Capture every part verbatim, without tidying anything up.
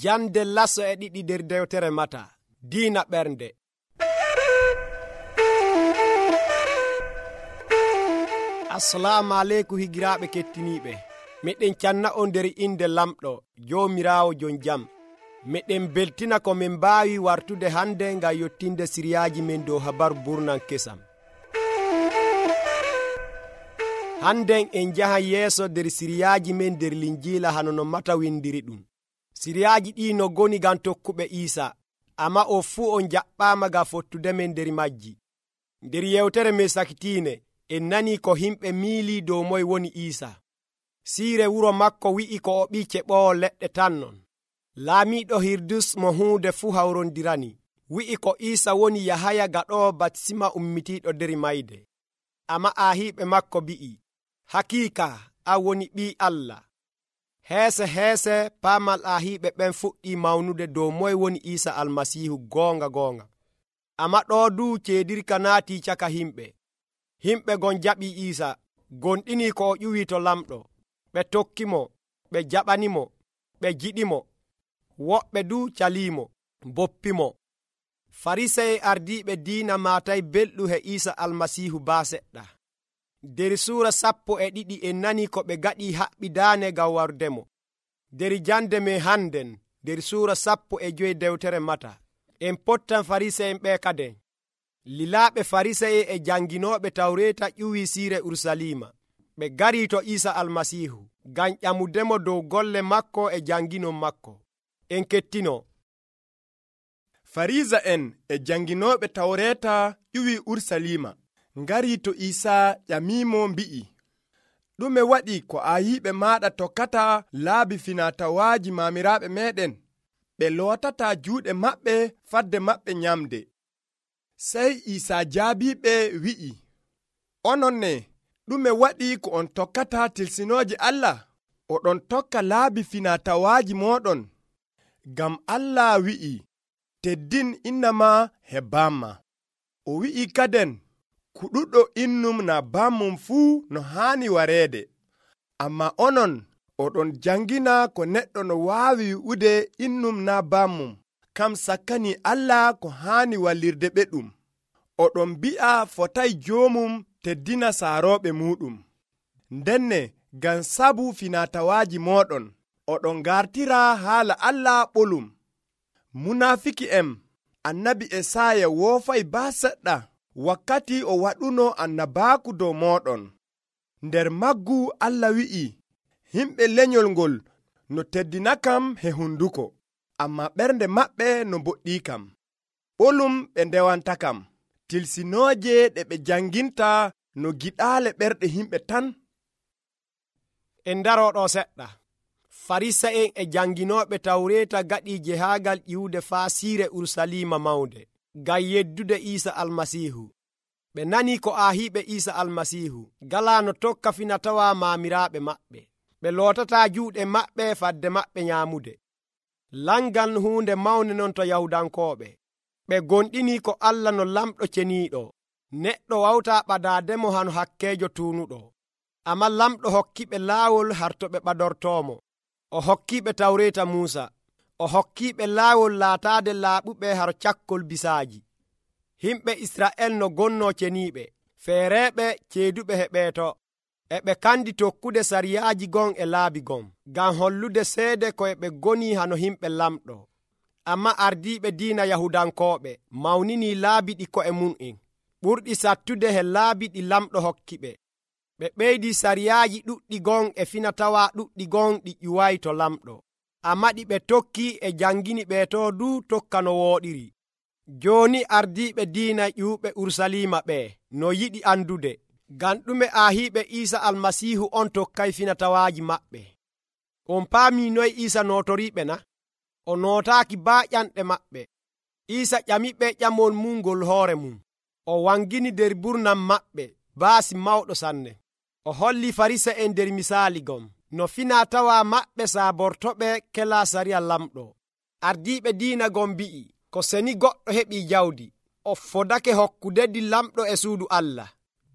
Jande laso e ɗiɗi nder dewtere Mata. Diina ɓernde. Assalamu aleykum higiraaɓe kettiniiɓe. Meɗen canna on nder inde lamɗo Joomiraawo jon jam. Meɗen beltina ko min mbaawi wartude hande ngam yottinde siriyaaji men dow habaru burnan kesam. Handen en jahan yeeso nder siriyaaji men nder linjiila hano no Mata windiri ɗum. Siriyaaji ɗi no goni ngam tokkuɓe Iisa, amma o fuu on jaɓɓaama ngam fottude men nder majji. Nder yewtere men sakitiine en nani ko himɓe miili dow moye woni Iisa. Siire wuro makko wi'i ko o ɓii keɓoowo leɗɗe tan non. Laamiiɗo Hirdus mo huunde fuu hawrondirani wi'i ko Iisa woni Yahaya gaɗoowo batisima ummitiiɗo nder mayde. Amma aahiiɓe makko bi'i, hakiika an woni ɓii Allah. Heese heese paamal aahiiɓe ɓen fuɗɗii mawnude dow moye woni Iisa Almasiihu goonga goonga. Amma ɗoo duu ceedirka naatii caka himɓe. Himɓe gon jaɓii Iisa, gonɗinii ko o ƴuwii to lamɗo. Ɓe tokkimo, ɓe jaɓanimo, ɓe jiɗimo. Woɓɓe duu caliimo, boppimo. Farisa'en ardiiɓe diina maatay belɗum he Iisa Almasiihu baa seɗɗa. Nder suura sappo e ɗiɗi en nanii ko ɓe gaɗii haɓɓidaane ngam wardemo. Nder jande men hannden nder suura sappo e joyi dewtere Mata en pottan Farisa'en ɓe kaden. Lilaaɓe Farisa'en e janginooɓe Tawreeta ƴuwii siire Urusalima. Ɓe garii to Iisa Almasiihu ngam ƴamudemo dow golle makko e janginon makko. En kettino. Farisa'en e janginooɓe Tawreeta ƴuwii Urusalima ngarii to Iisa ƴamiimo mbi'i, ɗume waɗi ko aayiiɓe maaɗa tokkata laabi finatawaaji maamiraaɓe meeɗen? Ɓe lootataa juuɗe maɓɓe fadde maɓɓe nyamde. Sey Iisa jaabiiɓe wi'i, onon ne, ɗume waɗi ko on tokkata tilsinooje Allah? Oɗon tokka laabi finatawaaji mooɗon. Ngam Allah wi'i, teddin inna ma he bamma. O wi'i kaden, kuɗuɗo innum na bammum fuu no haani wareede. Amma onon, oɗon jangina ko neɗɗo no waawi wi'ude innum na bammum, kam sakkani Allah ko haani wallirde ɓeɗum. Oɗon bi'a fotay joomum teddina saarooɓe muuɗum. Ndenne ngam sabu finatawaaji mooɗon, oɗon gartira haala Allah ɓolum. Munaafiki'en annabi Esaya woofay baa seɗɗa wakkati o waɗuno annabaaku dow mooɗon. Nder maggu Allah wi'i, himɓe lenyol ngol no teddinakam he hunduko, amma ɓernde maɓɓe no boɗɗiikam. Ɓolum ɓe ndewantakam, tilsinooje ɗe ɓe janginta no giɗaale ɓerɗe himɓe tan. En darooɗo seɗɗa. Farisa'en e janginooɓe Tawreeta gaɗii jehaagal ƴiwude faa siire Urusalima mawnde ngam yeddude Iisa Almasiihu. Ɓe nanii ko aahiiɓe Iisa Almasiihu galaa no tokka finatawaa maamiraaɓe maɓɓe. Ɓe lootataa juuɗe maɓɓe fadde maɓɓe nyaamude. Langal huunde mawnde non to Yahudankooɓe. Ɓe gonɗinii ko Allah no lamɗo ceniiɗo. Neɗɗo wawtaa ɓadaademo hano hakkeejo tuunuɗo. Amma lamɗo hokkiɓe laawol harto ɓe ɓadortoomo. O hokkiiɓe Tawreeta Muusa. O hokkiiɓe laawol laataade laaɓuɓe haro cakkol bisaaji. Himɓe Isra'el no gonnoo ceniiɓe, feereeɓe ceeduɓe he ɓeeto. E ɓe kandi tokkude sariyaaji gon e laabi gon, ngam hollude seede ko e ɓe gonii hano himɓe lamɗo. Amma ardiiɓe diina Yahudankooɓe mawninii laabi ɗi ko'e mum'en, ɓurɗi sattude he laabi ɗi lamɗo hokki ɓe. Ɓe ɓeydii sariyaaji ɗuɗɗi gon e finatawaa ɗuɗɗi gon ɗi ƴuwaayi to lamɗo. Amma ɗi ɓe tokki e jangini ɓeeto duu tokka no wooɗiri. Jooni ardiiɓe diina ƴuuɓe Urusalima ɓe no yiɗi andude, ngam ɗume aahiiɓe Iisa Almasiihu on tokkay finatawaaji maɓɓe. On paamii noy Iisa nootoriiɓe na? O nootaaki baa ƴanɗe maɓɓe. Iisa ƴamiɓe ƴamol mum ngol hoore mum. O wangini nder burnam maɓɓe baasi mawɗo sanne. O holli Farisa'en nder misaali gon no finatawaa maɓɓe saabortoɓe kelaa sariya lamɗo. Ardiiɓe diina gon mbi'i, ko seni goɗɗo heɓii jawdi, o fodake hokkudedi lamɗo e suudu Allah.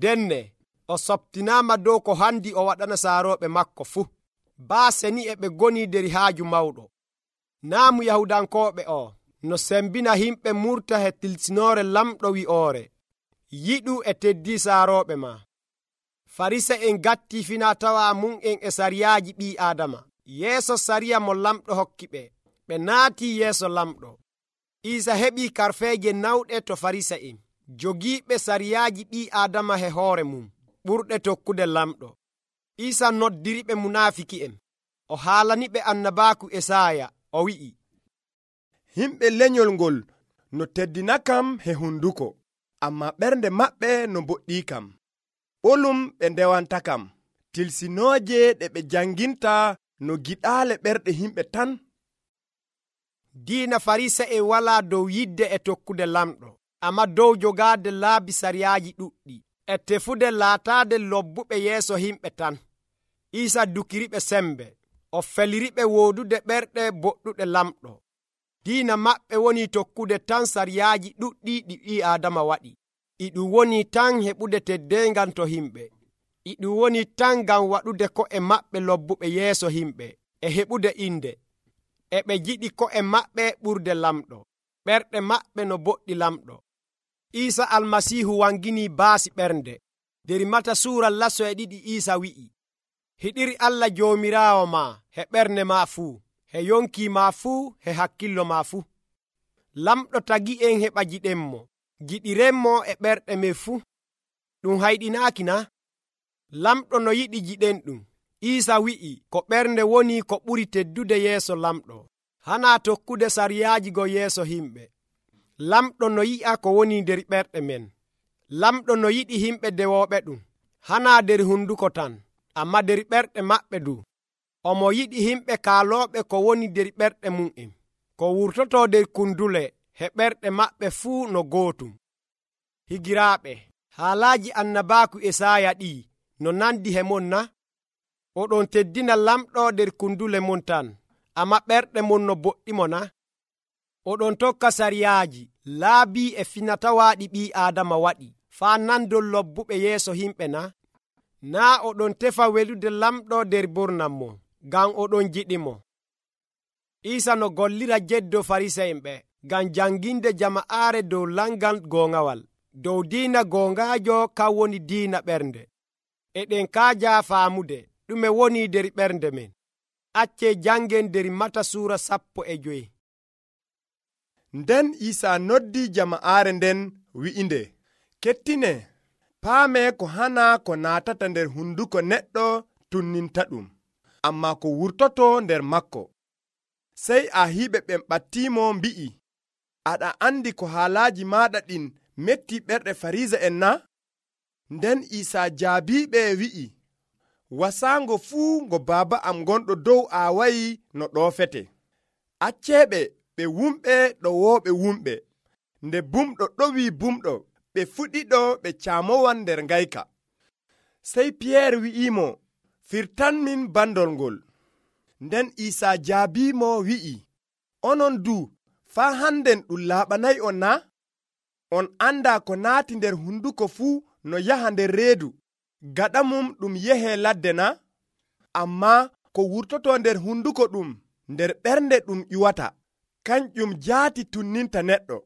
Denne o sobtinaama dow ko handi o waɗana saarooɓe makko fuu. Baa seni e ɓe goni nder haaju mawɗo. naamu yahudankooɓe o no sembina himɓe murta he tilsinoore lamɗo wi'oore yiɗu e teddi saarooɓe ma. farisa en gatti fina-tawa mum en e sariyaaji ɓii aadama yeeso sariya mo lamɗo hokki ɓe. ɓe naati yeeso lamɗo. Iisa heɓii karfeeje nawɗe to farisa en jogiiɓe sariyaaji ɓii aadama he hoore mum ɓurɗe tokkude lamɗo. Iisa noddiriɓe munaafiki'en o haalaniɓe annabaaku Esaaya o wi'i, himɓe lenyol ngol no teddinakam he hunduko, amma ɓernde maɓɓe no boɗɗii kam. ɓolum ɓe ndewantakam, tilsinooje ɗe ɓe janginta no giɗaale ɓerɗe himɓe tan. diina farisa en walaa dow yidde e tokkude lamɗo, amma dow jogaade laabi sariyaaji ɗuɗɗi e tefude laataade lobbuɓe yeeso himɓe tan. Iisa dukiriɓe sembe, o feliriɓe woodude ɓerɗe boɗɗuɗe lamɗo. diina maɓɓe woni tokkude tan sariyaaji ɗuɗɗi ɗi ɓii aadama waɗi. iɗum woni tan heɓude teddeengal to himɓe. iɗum woni tan ngam waɗude ko'e maɓɓe lobbuɓe yeeso himɓe e heɓude inde. e ɓe jiɗi ko'e maɓɓe ɓurde lamɗo, ɓerɗe maɓɓe no boɗɗi lamɗo. Iisa almasiihu wangini baasi ɓernde. Der Mata suura laso e ɗiɗi Iisa wi'i, hiɗiri Allah joomiraawo ma he ɓernde ma fuu, he yonki ma fuu, he hakkillo ma fuu. lamɗo tagi en heɓa jiɗenmo, jiɗirenmo e ɓerɗe men fuu. ɗum hayɗinaaki na? lamɗo no yiɗi jiɗen ɗum. Iisa wi'i ko ɓernde woni ko ɓuri teddude yeeso lamɗo, hana tokkude sariyaaji go yeeso himɓe. lamɗo no yi'a ko woni nder ɓerɗe men. lamɗo no yiɗi himɓe dewooɓe ɗum, hana nder hunduko tan, amma nder ɓerɗe maɓɓe du. omo yiɗi himɓe kaalooɓe ko woni nder ɓerɗe mum'en, ko wurtoto nder kundule he ɓerɗe maɓɓe fuu no gootum. higiraaɓe, haalaaji annabaaku Esaaya ɗi no nandi he mon na? oɗon teddina lamɗo nder kundule mon tan, amma ɓerɗe mon no boɗɗimo na? oɗon tokka sariyaaji laabi e finatawaaɗi ɓii aadama waɗi faa nandol lobbuɓe yeeso himɓe na? naa oɗon tefa welude lamɗo nder burnam mo ngam oɗon jiɗimo. Iisa no gollira jeddo farisa'en ɓe ngam janginde jama'aare dow langal goongawal, dow diina goongaajo kan woni diina ɓernde. eɗen kaaja faamude ɗume woni nder ɓernde men. acce jangen nder Mata suura sappo e joyi. nden Iisa noddi jama'aare nden wi'inde, kettine, paame ko hana ko naatata nder hunduko neɗɗo tunninta ɗum, amma ko wurtoto nder makko. sey ahiiɓe ɓen ɓattimo mbi'i, aɗa andi ko haalaaji maɗa ɗin metti ɓerɗe farisa en na? nden Iisa jaabiɓe wi'i, wasaango fuu ngo baaba am gonɗo dow aawayi no ɗoofete. acceɓe ɓe wumɓe ɗo wooɓe wumɓe, nde bumɗo ɗowi bumɗo ɓe fuɗiɗo ɓe caamowan nder ngayka. sey Piyeer wi'imo, firtanmin bandol ngol. nden Iisa jaabimo wi'i, onon du faa hannden ɗum laaɓanayi on na? on anda ko naati nder hunduko fuu no yaha nder reedu, gaɗa mum ɗum yehe ladde na? amma ko wurtoto nder hunduko ɗum nder ɓernde ɗum ƴuwata, kanƴum jaati tunninta neɗɗo.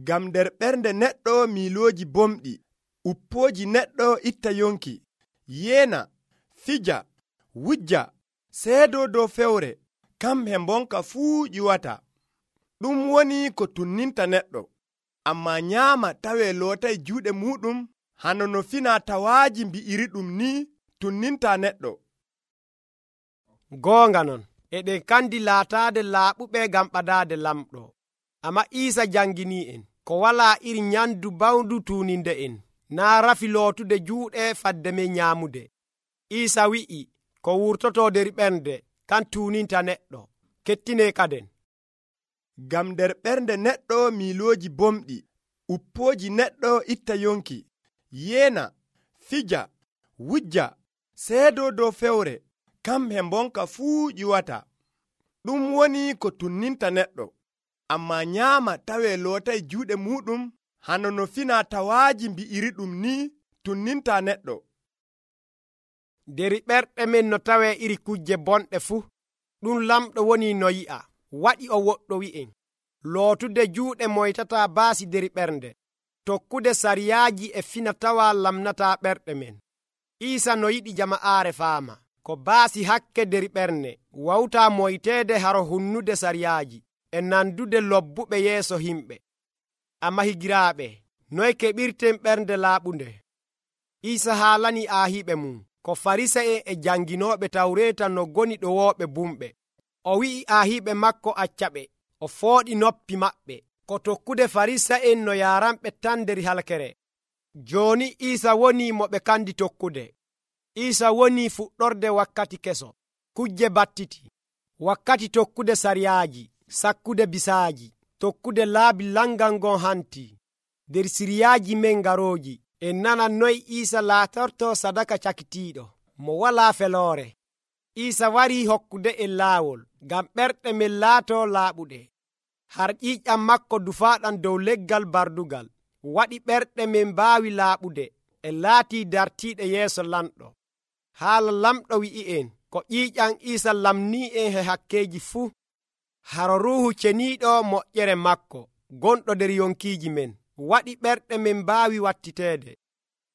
ngam nder ɓernde neɗɗo miilooji bomɗi, uppooji neɗɗo itta yonki, yeena, fija, wujja, seedo dow fewre, kam he mbonka fuu ƴuwata. ɗum woni ko tunninta neɗɗo. amma nyaama tawe lootay juuɗe muɗum, hano no fina-tawaaji mbi'iri ɗum ni tunninta neɗɗo. goonga non, eɗen kandi laataade laaɓuɓe ngam ɓadaade lamɗo, amma Iisa jangini en ko walaa iri nyandu bawndu tuuninde en, naa rafi lootude juuɗe fadde men nyaamude. Iisa wi'i ko wurtoto nder ɓernde kan tuuninta neɗɗo. kettine kaden, ngam nder ɓernde neɗɗo miilooji bomɗi, uppooji neɗɗo itta yonki, yeena, fija, wujja, seedo dow fewre, kam he mbonka fuu ƴuwata. ɗum woni ko tunninta neɗɗo. amma nyaama tawe lootay juuɗe muɗum, hano no fina-tawaaji mbi'iri ɗum ni tunninta neɗɗo. nder ɓerɗe men no tawe iri kujje bonɗe fuu, ɗum lamɗo woni no yi'a, waɗi o woɗɗo wi'en lootude juuɗe moytata baasi der ɓernde, tokkude sariyaaji e fina-tawa lamnata ɓerɗe men. Iisa no yiɗi jama'aare faama ko baasi hakke der ɓernde wawta moyteede haro hunnude sariyaaji e nandude lobbuɓe yeeso himɓe. Amma higiraaɓe, noy keɓirten ɓernde laaɓunde? Iisa haalani aahiɓe mum ko Farisa'en e janginooɓe Tawreeta no goni ɗowooɓe bumɓe. O wi'i aahiɓe makko accaɓe, o fooɗi noppi maɓɓe ko tokkude Farisa'en no yaaranɓe tan nder halkere. Jooni Iisa woni mo ɓe kandi tokkude. Iisa woni fuɗɗorde wakkati keso, kujje battiti, wakkati tokkude sariyaaji, sakkude bisaaji, tokkude laabi langal ngon hanti. Der siriyaaji men garooji, en nana noy Iisa laatorto sadaka cakitiiɗo mo walaa feloore. Iisa warii hokkude en laawol ngam ɓerɗe men laato laaɓuɗe. Har ƴiiƴam makko dufaaɗam dow leggal bardugal waɗi ɓerɗe men mbaawi laaɓude e laatii dartiiɗe yeeso lamɗo. Haala lamɗo wi'i'en ko ƴiiƴam Iisa lamnii en he hakkeeji fuu. Haro Ruuhu Ceniiɗo moƴƴere makko gonɗo nder yonkiiji men waɗi ɓerɗe men mbaawi wattiteede.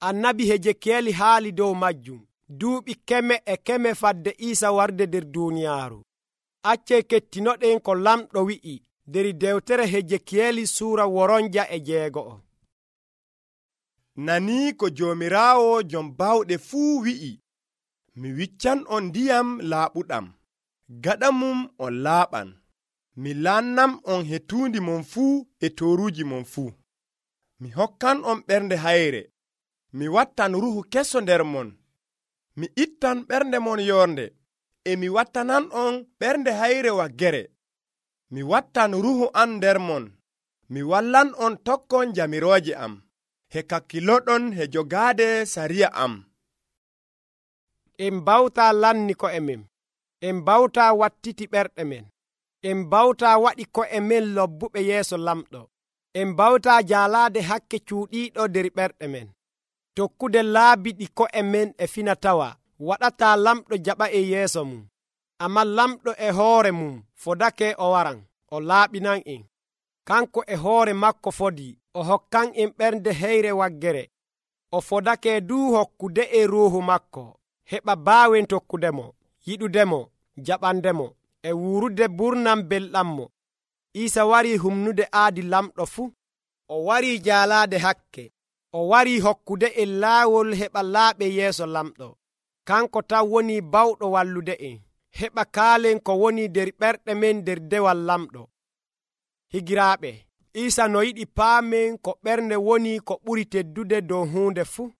Annabi Hejekiyeeli haali dow majjum duuɓi keme e keme fadde Iisa warde nder duuniyaaru. Accee kettinoɗen ko lamɗo wi'i nder dewtere Hejekiyeeli suura woronja e jeego'o. Nanii ko Joomiraawo jom bawɗe fuu wi'i, mi wiccan on ndiyam laaɓuɗam, gaɗa mum on laaɓan, mi laannam on he tuundi mon fuu e tooruuji mon fuu. Mi hokkan on ɓernde hayre, mi wattan ruhu keso nder mon, mi ittan ɓernde mon yoornde, e mi wattanan on ɓernde hayre waggere. Mi wattan ruhu an nder mon, mi wallan on tokkon jamirooje am, he kakkiloɗon he jogaade sariya am. En bawta lanni ko'e men, en bawta wattiti ɓerɗe men, en bawta waɗi ko'e men lobbuɓe yeeso lamɗo, en bawta jaalaade hakke cuuɗiiɗo nder ɓerɗe men. Tokkude laabi ɗi ko'e men e fina-tawa waɗata lamɗo jaɓa e yeeso mum. Amma lamɗo e hoore mum fodake o waran, o laaɓinan en. Kanko e hoore makko fodii, o hokkan en ɓernde heyre waggere. O fodake duu hokkude e ruuhu makko, heɓa baawen tokkudemo, yiɗudemo, jaɓandemo, e wuurude burnam belɗammo. Iisa warii humnude aadi lamɗo fuu. O warii jaalaade hakke. O warii hokkude en laawol heɓa laaɓe yeeso lamɗo. Kanko taw woni bawɗo wallude en. Heɓa kaalen ko woni nder ɓerɗe men nder dewal lamɗo. Higiraaɓe, Iisa no yiɗi paamen ko ɓernde woni ko ɓuri teddude dow huunde fuu.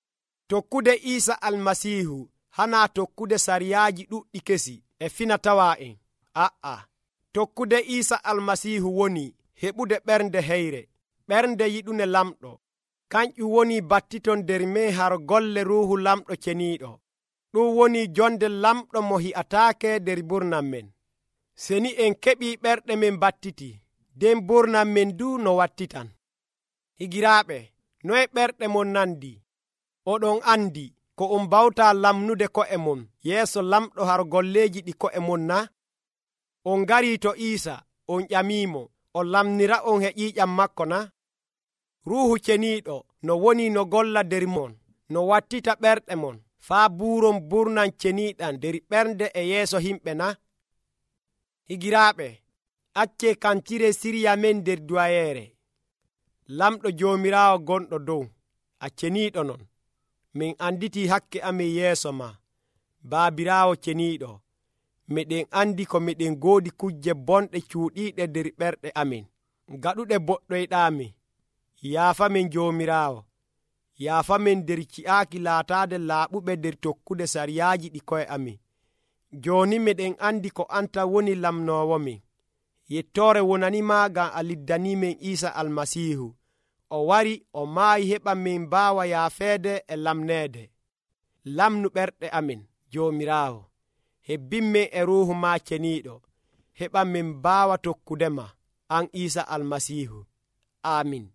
Tokkude Iisa Almasiihu hanaa tokkude sariyaaji ɗuɗɗi kesi e fina-tawa en. A'a, tokkude Iisa Almasiihu woni heɓude ɓernde heyre, ɓernde yiɗune lamɗo. Kanƴum woni battiton nder men har golle Ruuhu Lamɗo Ceniiɗo. Ɗum woni jonde lamɗo mo hi'ataake nder burnam men. Seni en keɓii ɓerɗe men battiti, nden burnam men du no wattitan. Higiraaɓe, noye ɓerɗe mon nandi? Oɗon andi ko on bawta lamnude ko'e mon yeeso lamɗo har golleeji ɗi ko'e mon na? On ngarii to Iisa, on ƴamiimo, o lamnira on he ƴiiƴam makko na? Ruuhu Ceniiɗo no woni no golla nder mon, no wattita ɓerɗe mon, faa buuron burnam ceniiɗam nder ɓernde e yeeso himɓe na? Higiraaɓe, accee kantire siriya men nder duwayeere. Lamɗo Joomiraawo gonɗo dow, a ceniiɗo non. Min anditi hakke amin yeeso ma, baabiraawo ceniiɗo. Miɗen andi ko miɗen goodi kujje bonɗe cuuɗiiɗe nder ɓerɗe amin, gaɗuɗe boɗɗoyɗaami. Yaafamin Joomiraawo, yaafamin nder ci'aaki laataade laaɓuɓe nder tokkude sariyaaji ɗi koye amin. Jooni miɗen andi ko anta woni lamnoowomin. Yettoore wonanima ngam a liddaniimen Iisa Almasiihu. O wari, o maayi heɓa min mbaawa yaafeede e lamneede. Lamnu ɓerɗe amin, Joomiraawo. Hebbinmin e ruuhu ma ceniiɗo, heɓa min mbaawa tokkudema, an Iisa Almasiihu. Amin.